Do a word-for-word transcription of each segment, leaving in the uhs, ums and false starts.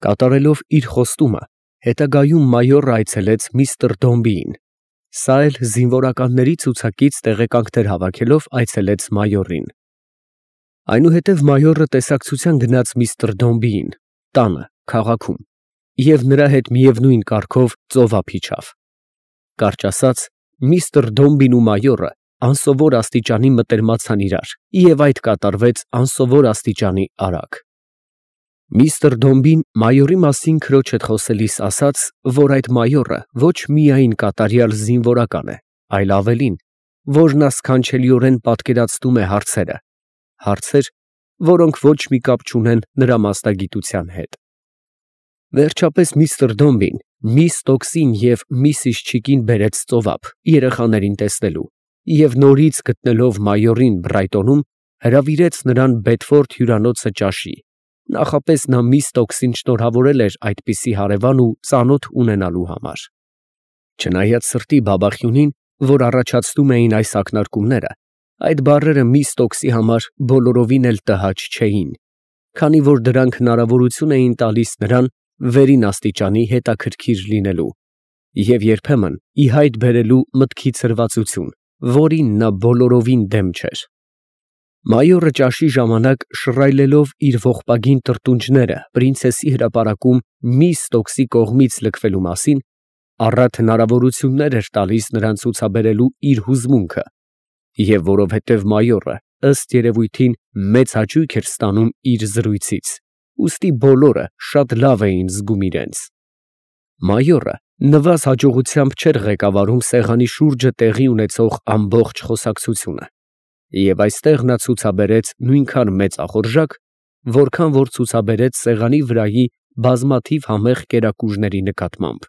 Կատարելով իր խոստումը, հետագայում մայորը այցելեց միստր Դոմբիին, սա էլ զինվորականների ցուցակից տեղեկանքներ հավաքելով այցելեց մայորին։ Այնուհետև մայորը տեսակցության գնաց միստր Դոմբիին, տանը, քաղաքում, և նրա հետ միևնույն կարգով ծովափ իջավ։ Կարճ ասած, միստր Դոմբին ու մայորը անսովոր աստիճանի մտերմացան իրար, և այդ կատարվեց անսովոր աստիճանի արագ։ Միստր Դոմբին մայորի մասին քրոջ հետ խոսելիս ասաց, որ այդ մայորը ոչ միայն կատարյալ զինվորական է, այլ ավելին, որ նա սքանչելիորեն պատկերացնում է հարցերը, հարցեր, որոնք ոչ մի կապ չունեն նրա մասնագիտության հետ։ Վերջապես միստր Դոմբին միս Տոքսին և միսիս Չիկին բերեց ծովափ երեխաներին տեսնելու և նորից գտնելով մայորին Բրայտոնում, հրավիրեց նրան Բեդֆորդ հյուրանոցը ճաշի, նախապես նա միս Տոքսին շնորհավորել էր այդպիսի հարևան ու ծանոթ ունենալու համար։ Չնայած սրտի բաբախյունին, որ առաջացնում էին այս ակնարկումները, այդ բառերը միս Տոքսի համար բոլորովին էլ տհաճ չէին, քանի որ դրանք հնարավորություն էին տալիս նրան վերին աստիճանի հետաքրքիր լինելու և երբեմն ի հայտ բերելու մտքի ցրվածություն, որին նա բոլորովին դեմ չէր։ Մայորը ճաշի ժամանակ շռայլելով իր ողբագին տրտունջները պրինցեսի հրապարակում միս Տոքսի կողմից լքվելու մասին, առատ հնարավորություններ էր տալիս նրան ցուցաբերելու իր հուզմունքը, և որովհետև մայորը ըստ երևույթին մեծ հաճույք էր ստանում իր զրույցից, ուստի բոլորը շատ լավ էին զգում իրենց։ Մայորը նվազ հաջողությամբ չէր ղեկավարում սեղանի շուրջը տեղի ունեցող ամբողջ խոսակցությունը, և այստեղ նա ցուցաբերեց նույնքան մեծ ախորժակ, որքան որ ցուցաբերեց սեղանի վրայի բազմաթիվ համեղ կերակուրների նկատմամբ։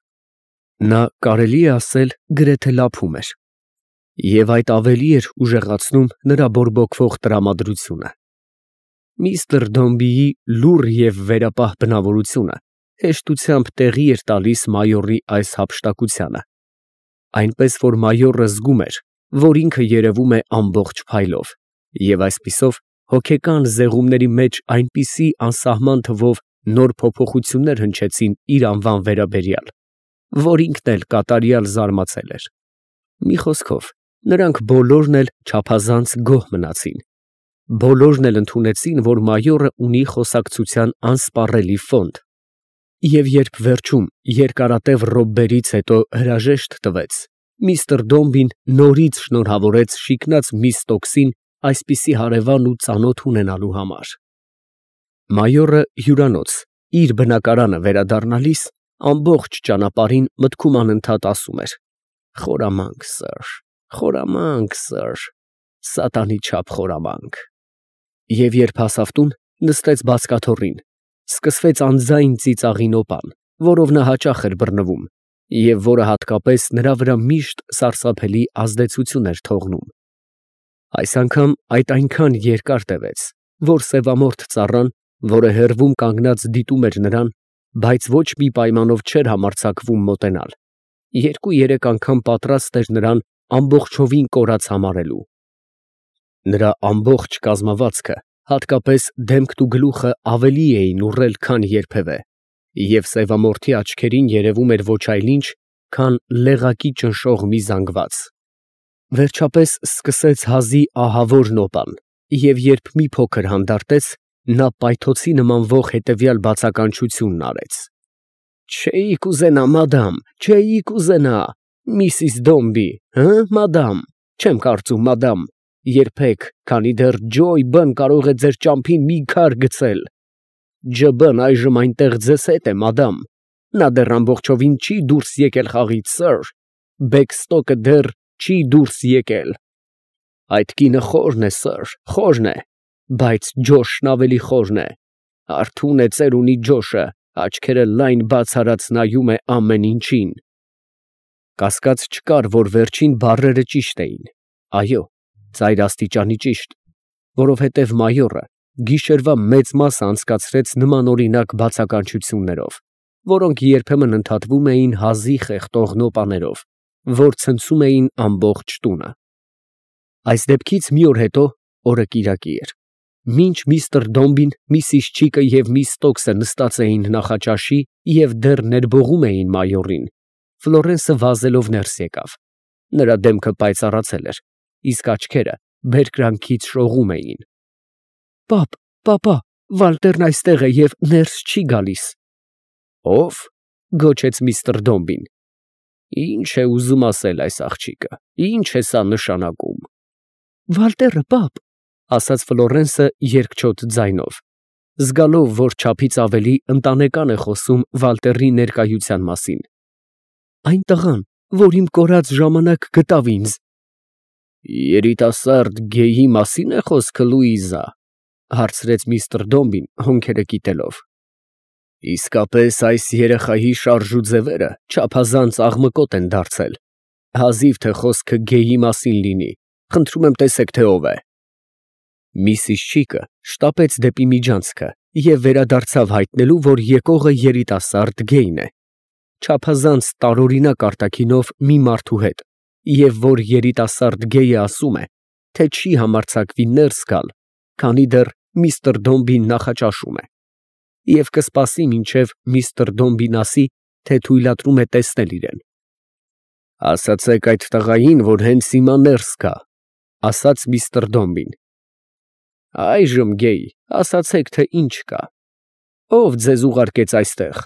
Նա, կարելի է ասել, գրեթե լափում էր, և այդ ավելի էր ուժեղացնում նրա բորբոքվող տրամադրությունը։ Միստր Դոմբիի լուռ և վերապահ բնավորությունը հեշտությամբ տեղի էր տալիս մայորի այս հափշտակությանը, այնպես որ մայորը զգում էր, որ ինքը երևում է ամբողջ փայլով, և այսպիսով հոգեկան զեղումների մեջ այնպիսի անսահման թվով նոր փոփոխություններ հնչեցին իր անվան վերաբերյալ, որ ինքն էլ կատարյալ զարմացել էր։ Մի խոսքով, նրանք բոլորն էլ չափազանց գոհ մնացին։ Բոլորն էլ ընդունեցին, որ մայորը ունի խոսակցության անսպառելի ֆոնդ, և երբ վերջում երկարատև րոպեներից հետո հրաժեշտ տվեց, միստր Դոմբին նորից շնորհավորեց շիկնած միս Տոքսին այսպիսի հարևան ու ծանոթ ունենալու համար։ Մայորը հյուրանոց, իր բնակարանը վերադառնալիս, ամբողջ ճանապարհին մտքում անընդհատ ասում էր. «Խորամանկ Սըր, խորամանկ Սըր, սատանի չափ խորամանկ»։ Եվ երբ հասավ տուն, նստեց բազկաթոռին, սկսվեց անձայն ծիծաղի նոպան, որով նա հաճախ էր բռնվում, և որը հատկապես նրա վրա միշտ սարսափելի ազդեցություն էր թողնում։ Այս անգամ այդ այնքան երկար տևեց, որ սևամորթ ծառան, որը հեռվում կանգնած դիտում էր նրան, բայց ոչ մի պայմանով չէր համարձակվում մոտենալ, երկու֊երեք անգամ պատրաստ էր նրան ամբողջովին կորած համարելու։ Նրա ամբողջ կազմվածքը, հատկապես դեմքն ու գլուխը ավելի էին ուռել, քան երբևէ, և սևամորթի աչքերին երևում էր ոչ այլ ինչ, քան լեղակի ճնշող մի զանգված։ Վերջապես սկսեց հազի ահավոր նոպան, և երբ մի փոքր հանդարտեց, նա պայթոցի նմանվող հետևյալ բացականչությունն արեց. «Չէի՜ք կուզենա, մադամ, չէի՜ք կուզենա, Միսիս Դոմբի, հը՛, մադամ, չեմ կարծում, մադամ, երբեք, քանի դեռ Ջոյ Բ֊ն կարող է ձեր ճամփին մի քար գցել։ Ջ Բ֊ն այժմ այնտեղ ձեզ հետ է, մադամ, նա դեռ ամբողջովին չի դուրս եկել խաղից, Սըր, Բեքստոկը դեռ չի դուրս եկել։ Այդ կինը խորն է, Սըր, խորն է, բայց Ջոշն ավելի խորն է, արթուն է ծերունի Ջոշը, աչքերը լայն բաց արած նայում է ամեն ինչին»։ Կասկած չկար, որ վերջին բառերը ճիշտ էին, այո, ծայր աստիճանի ճիշտ, որովհետև մայորը գիշերվա մեծ մասը անցկացրեց նմանօրինակ բացականչություններով, որոնք երբեմն ընդհատվում էին հազի խեղդող նոպաներով, որ ցնցում էին ամբողջ տունը։ Այս դեպքից մի օր հետո, օրը կիրակի էր, Մինչ միստր Դոմբին, միսիս Չիկը և միս Ստոքսը նստած էին նախաճաշի և դեռ ներբողում էին մայորին, Ֆլորենսը վազելով ներս եկավ. նրա դեմքը պայծառացել էր, իսկ աչքերը բերկրանքից շողում էին։ ֊ Պապա, Վալտերն այստեղ է և ներս չի գալիս։ ֊ Ո՞վ։ ֊ գոչեց միստր Դոմբին։ ֊ Ի՞նչ է ուզում ասել այս աղջիկը, ի՞նչ է սա նշանակում։ ֊ Վալտերը, պապ, ֊ ասաց Ֆլորենսը երկչոտ ձայնով, զգալով, որ չափից ավելի ընտանեկան է խոսում Վալտերի ներկայության մասին։ ֊ Այն տղան, որ իմ կորած ժամանակ գտավ ինձ։ ֊ Երիտասարդ գեյի մասի՞ն է խոսքը, Լուիզա, ֊ հարցրեց միստր Դոմբին հոնքերը կիտելով։ ֊ Իսկապես այս երեխայի շարժուձևերը չափազանց աղմկոտ են դարձել, հազիվ թե խոսքը գեյի մասին լինի, խնդրում եմ տեսեք, թե ով է։ Միսիս Չիկը շտապեց դեպի միջանցքը և վերադարձավ հայտնելու, որ եկողը երիտասարդ գեյն է, չափազանց տարօրինակ արտաքինով մի մարդու հետ, և որ երիտասարդ գեյը ասում է, թե չի համարձակվի ներս գալ, քանի դեռ միստր Դոմբին նախաճաշում է, և կսպասի, մինչև միստր Դոմբին ասի, թե թույլատրում է տեսնել իրեն։ ֊ Ասացեք այդ տղային, որ հենց հիմա ներս գա, ֊ ասաց միստր Դոմբին։ ֊ Այժմ, գեյ, ասացեք, թե ինչ կա, ով ձեզ ուղարկեց այստեղ,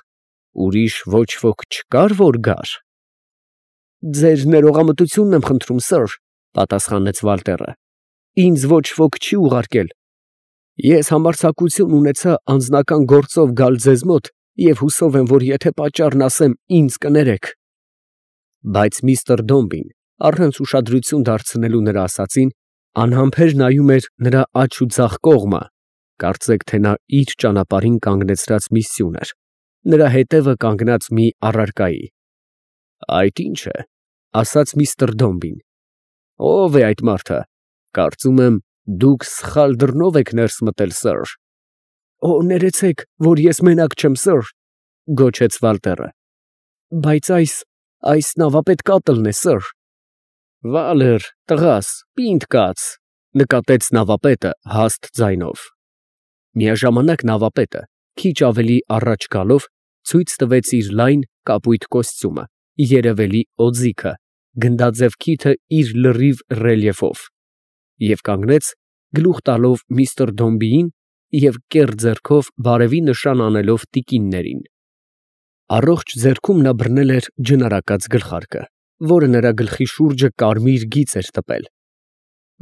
ուրիշ ոչ ոք չկա՞ր, որ գար։ ֊ Ձեր ներողամտությունն եմ խնդրում, սըր, ֊ պատասխանեց Վալտերը, ֊ ինձ ոչ ոք չի ուղարկել. ես համարձակություն ունեցա անձնական գործով գալ ձեզ մոտ և հուսով եմ, որ եթե պատճառն ասեմ, ինձ կներեք։ Բայց միստր Դոմբին, առանց ուշադրություն դարձնելու նրա ասածին, անհամբեր նայում էր նրա աջ ու ձախ կողմը, կարծեք, թե նա իր ճանապարհին կանգնեցրած մի սյուն էր, նրա հետևը կանգնած մի առարկայի։ ֊ Այդ ի՞նչ է, ֊ ասաց միստր Դոմբին։ ֊ Ո՞վ է այդ մարդը, կարծում եմ, դուք սխալ դռնով եք ներս մտել, սըր։ ֊ Օ, ներեցեք, որ ես մենակ չեմ, սըր, ֊ գոչեց Վալտերը, ֊ բայց այս, այս նավապետ կատլն է, սըր։ ֊ Վալեր, տղաս, պինդ կաց, ֊ նկատեց նավապետը հաստ ձայնով։ Միաժամանակ նավապետը, քիչ ավելի առաջ գալով, ցույց տվեց իր լայն, կապույտ կոստյումը, երևելի օձիքը, գնդաձև քիթը իր լրիվ ռելիեֆով և կանգնեց, գլուխ տալով միստր Դոմբիին և կեռ ձեռքով բարևի նշան անելով տիկիններին։ Առողջ ձեռքում նա բռնել էր ջնարակած գլխարկը, որը նրա գլխի շուրջը կարմիր գիծ էր տպել։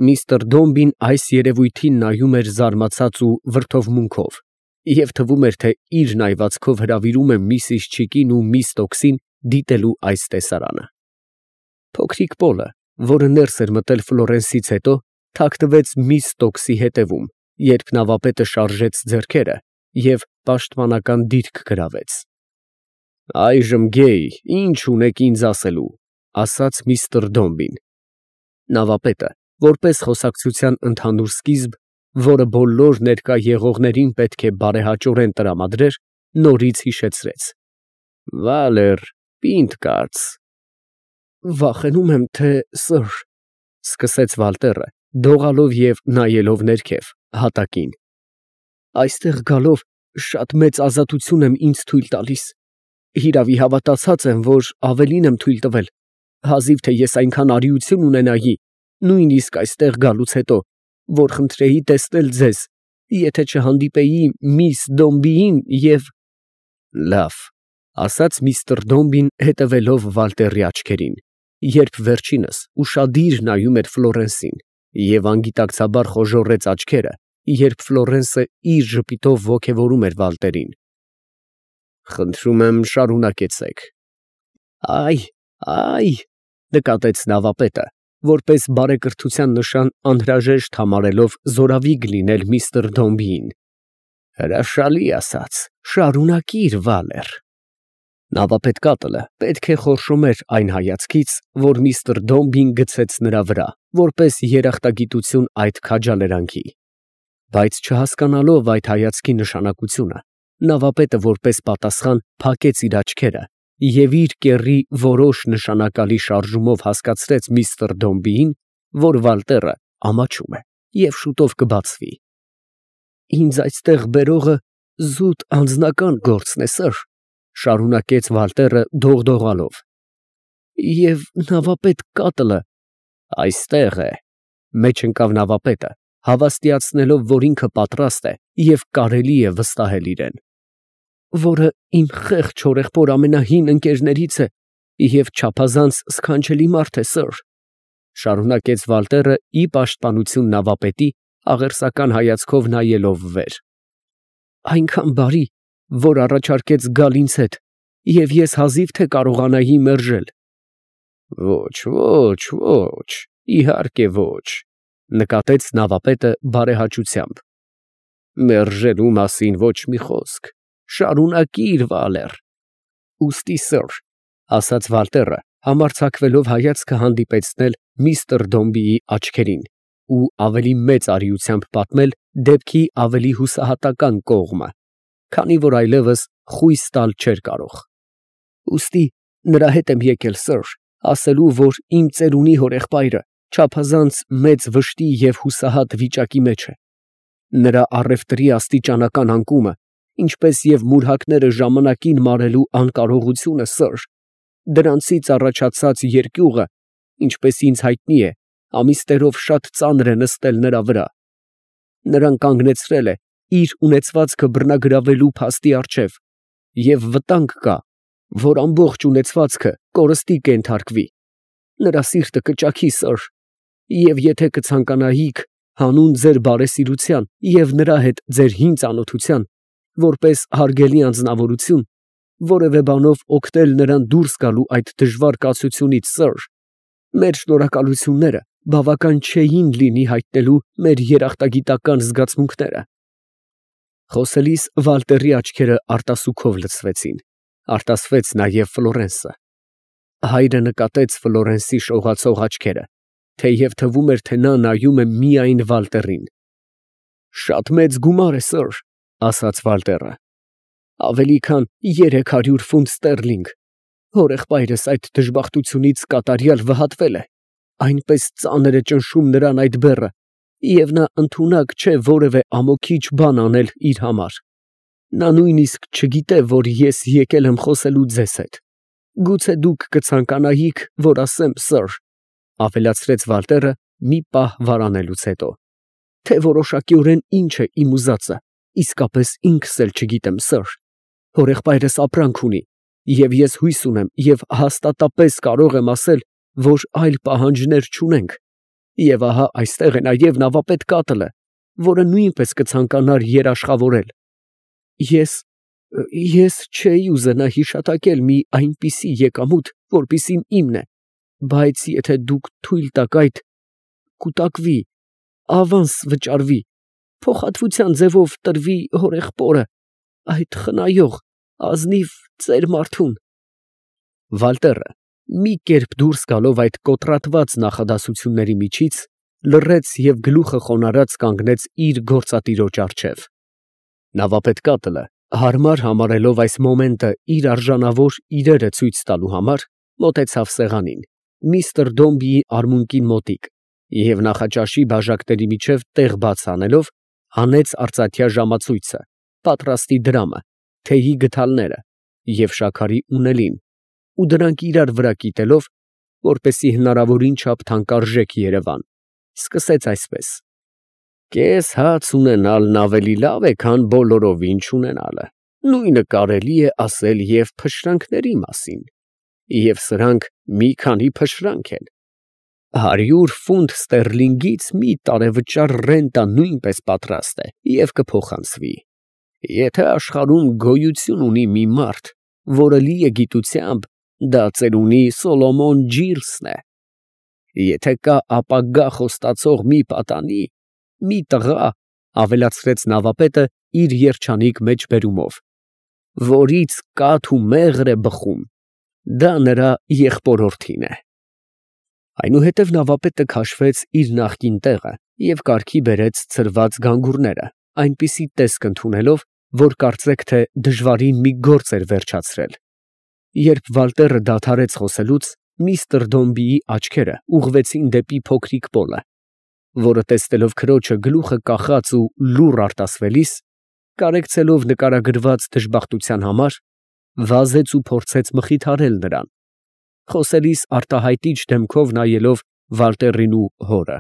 Միստր Դոմբին այս երևույթին նայում էր զարմացած ու վրդովմունքով և թվում էր, թե իր նայվածքով հրավիրում է միսիս Չիկին ու միս Ստոքսին դիտելու այս տեսարանը։ Փոքրիկ Պոլը, որը ներս էր մտել Ֆլորենսից հետո, թաքնվեց միս Ստոքսի հետևում, երբ նավապետը շարժեց ձեռքերը և պաշտպանական դիրք գրավեց։ ֊ Այժմ, գեյ, ի՞նչ ունեք ինձ ասելու, ֊ ասաց միստր Դոմբին։ Նավապետը, որպես խոսակցության ընդհանուր սկիզբ, որը բոլոր ներկա եղողներին պետք է բարեհաճորեն տրամադրեր, նորից հիշեցրեց. ֊ Վալեր, պինդ կաց։ ֊ Վախենում եմ, թե սըր, ֊ սկսեց Վալտերը, դողալով և նայելով ներքև, հատակին, ֊ այստեղ գալով շատ մեծ ազատություն եմ ինձ թույլ տալիս, հիրավի հավատացած եմ, որ ավելին եմ թույլ տվել, հազիվ թե ես այնքան արիություն ունենայի, նույնիսկ այստեղ գալուց հետո, որ խնդրեի տեսնել ձեզ, եթե չհանդիպեի միս Դոմբիին և… ֊ Լավ, ֊ ասաց միստր Դոմբին հետևելով Վալտերի աչքերին, երբ վերջինս ուշադիր նայում էր Ֆլորենսին և անգիտակցաբար խոժոռեց աչքերը, երբ Ֆլորենսը իր ժպիտով ոգևորում էր Վալտերին։ ֊ Խնդրում եմ, շարունակեցեք։ ֊ Ա՛յ, ա՛յ, ֊ նկատեց նավապետը, որպես բարեկրթության նշան անհրաժեշտ համարելով զորավիգ լինել միստր Դոմբիին։ ֊ Հրաշալի ասաց, շարունակիր, Վալեր։ Նավապետ կատլը պետք է խորշոմեր այն հայացքից, որ միստր Դոմբին գցեց նրա վրա, որպես երախտագիտություն այդ քաջալերանքի։ Բայց չհասկանալով այդ հայացքի նշանակությունը, նավապետը որպես պատասխան փակեց իր աչքերը և իր կեռի որոշ նշանակալի շարժումով հասկացրեց միստր Դոմբիին, որ Վալտերը ամաչում է և շուտով կբացվի։ Ինձ այստեղ բերողը զուտ անձնական գործն է, սըր, շարունակեց Վալտերը դողդողալով։ Եվ նավապետ Կատլը այստեղ է, մեջ ընկավ նավապետը, հավաստիացնելով, որ ինքը պատրաստ է և կարելի է վստահել իրեն, որը իմ խեղճ հորեղբոր ամենահին ընկերներից է և չափազանց սքանչելի մարդ է, սըր, շարունակեց Վալտերը ի պաշտպանություն նավապետի, աղերսական հայացքով նայելով վեր. այնքան բարի, որ առաջարկեց գալ ինձ հետ, և ես հազիվ թե կարողանայի մերժել։ Ոչ, ոչ, ոչ, իհարկե ոչ, նկատեց նավապետը բարեհաճությամբ։ Մերժելու մասին ոչ մի խոսք, շարունակիր, Վալեր։ Ուստի, սըր, ասաց Վալտերը, համարձակվելով հայացքը հանդիպեցնել միստր Դոմբիի աչքերին ու ավելի մեծ արիությամբ պատմել դեպքի ավելի հուսահատական կողմը, քանի որ այլևս խույս տալ չէր կարող։ Ուստի նրա հետ եմ եկել, սըր, ասելու, որ իմ ծերունի հորեղբայրը չափազանց մեծ վշտի և հուսահատ վիճակի մեջ է։ Նրա առևտրի աստիճանական անկումը, ինչպես և մուրհակները ժամանակին մարելու անկարողությունը, սըր, դրանցից առաջացած երկյուղը, ինչպես ինձ հայտնի է, ամիսներով շատ ծանր է նստել նրա վրա։ Նրան կանգնեցրել է իր ունեցվածքը բռնագրավելու փաստի առջև, և վտանգ կա, որ ամբողջ ունեցվածքը կորստի կենթարկվի։ Նրա սիրտը կճաքի, սըր, և եթե կցանկանայիք, հանուն ձեր բարեսիրության և նրա հետ ձեր հին ծանոթության, որպես հարգելի անձնավորություն, որևէ բանով օգնել նրան դուրս գալու այդ դժվար կացությունից, սըր, մեր շնորհակալությունները բավական չէին լինի հայտնելու մեր երախտագիտական զգացմունքները։ Խոսելիս Վալտերի աչքերը արտասուքով լցվեցին, արտասվեց նաև Ֆլորենսը։ Հայրը նկատեց Ֆլորենսի շողացող աչքերը, թեև թվում էր, թե նա նայում է միայն Վալտերին։ Շատ մեծ գումար է, սըր, ասաց Վալտերը, ավելի քան երեք հարյուր ֆունտ ստերլինգ։ Հորեղբայրս այդ դժբախտությունից կատարյալ վհատվել է, այնպես ծանր է ճնշում նրան այդ բեռը, և նա ընդունակ չէ որևէ ամոքիչ բան անել իր համար։ Նա նույնիսկ չգիտե, որ ես եկել եմ խոսելու ձեզ հետ։ Գուցե դուք կցանկանայիք, որ ասեմ, սըր, ավելացրեց Վալտերը մի պահ վարանելուց հետո, թե որոշակիորեն ինչ է իմ ուզածը, իսկապես ինքս էլ չգիտեմ, սըր։ Հորեղբայրս ապրանք ունի, և ես հույս ունեմ և հաստատապես կարող եմ ասել, որ այլ պահանջներ չունենք, և ահա այստեղ է նաև նավապետ Կատլը, որը նույնպես կցանկանար երաշխավորել։ Ես… ես չէի ուզենա հիշատակել մի այնպիսի եկամուտ, որպիսին իմն է, բայց եթե դուք թույլ տաք այդ… կուտակվի, ավանս վճարվի, փոխհատվության ձևով տրվի հորեղբորը, այդ խնայող, ազնիվ ծեր մարդուն… Վալտերը, մի կերպ դուրս գալով այդ կոտրատված նախադասությունների միջից, լռեց և գլուխը խոնարհած կանգնեց իր գործատիրոջ առջև։ Նավապետ Կատլը, հարմար համարելով այս մոմենտը իր արժանավոր իրերը ցույց տալու համար, մոտեցավ սեղանին, միստր Դոմբիի արմունկին մոտիկ, և նախաճաշի բաժակների միջև տեղ բաց անելով, հանեց արծաթյա ժամացույցը, պատրաստի դրամը, թեյի գդալները և շաքարի ունելին, ու դրանք իրար վրա կիտելով, որպեսզի հնարավորին չափ թանկարժեք երևան, սկսեց այսպես. Կես հաց ունենալն ավելի լավ է, քան բոլորովին չունենալը, նույնը կարելի է ասել և փշրանքների մասին, և սրանք մի քանի փշրանք են։ Հարյուր ֆունտ ստերլինգից մի տարեվճար ռենտա նույնպես պատրաստ է և կփոխանցվի։ Եթե աշխարհում գոյություն ունի մի մարդ, որը լի է գիտությամբ, դա ծերունի Սոլոմոն Ջիրսն է։ Եթե կա ապագա խոստացող մի պատանի, մի տղա, ավելացրեց նավապետը իր երջանիկ մեջբերումով, որից կաթ ու մեղր է բխում, դա նրա եղբորորդին է։ Այնուհետև նավապետը քաշվեց իր նախկին տեղը և կարգի բերեց ցրված գանգուրները, այնպիսի տեսք ընդունելով, որ կարծեք, թե դժվարին մի գործ էր վերջացրել։ Երբ Վալտերը դադարեց խոսելուց, միստր Դոմբիի աչքերը ուղղվեցին դեպի փոքրիկ Պոլը, որը տեսնելով քրոջը գլուխը կախած ու լուռ արտասվելիս, կարեկցելով նկարագրված դժբախտության համար, վազեց ու փորձեց մխիթարել նրան, խոսելիս արտահայտիչ դեմքով նայելով Վալտերին ու հորը։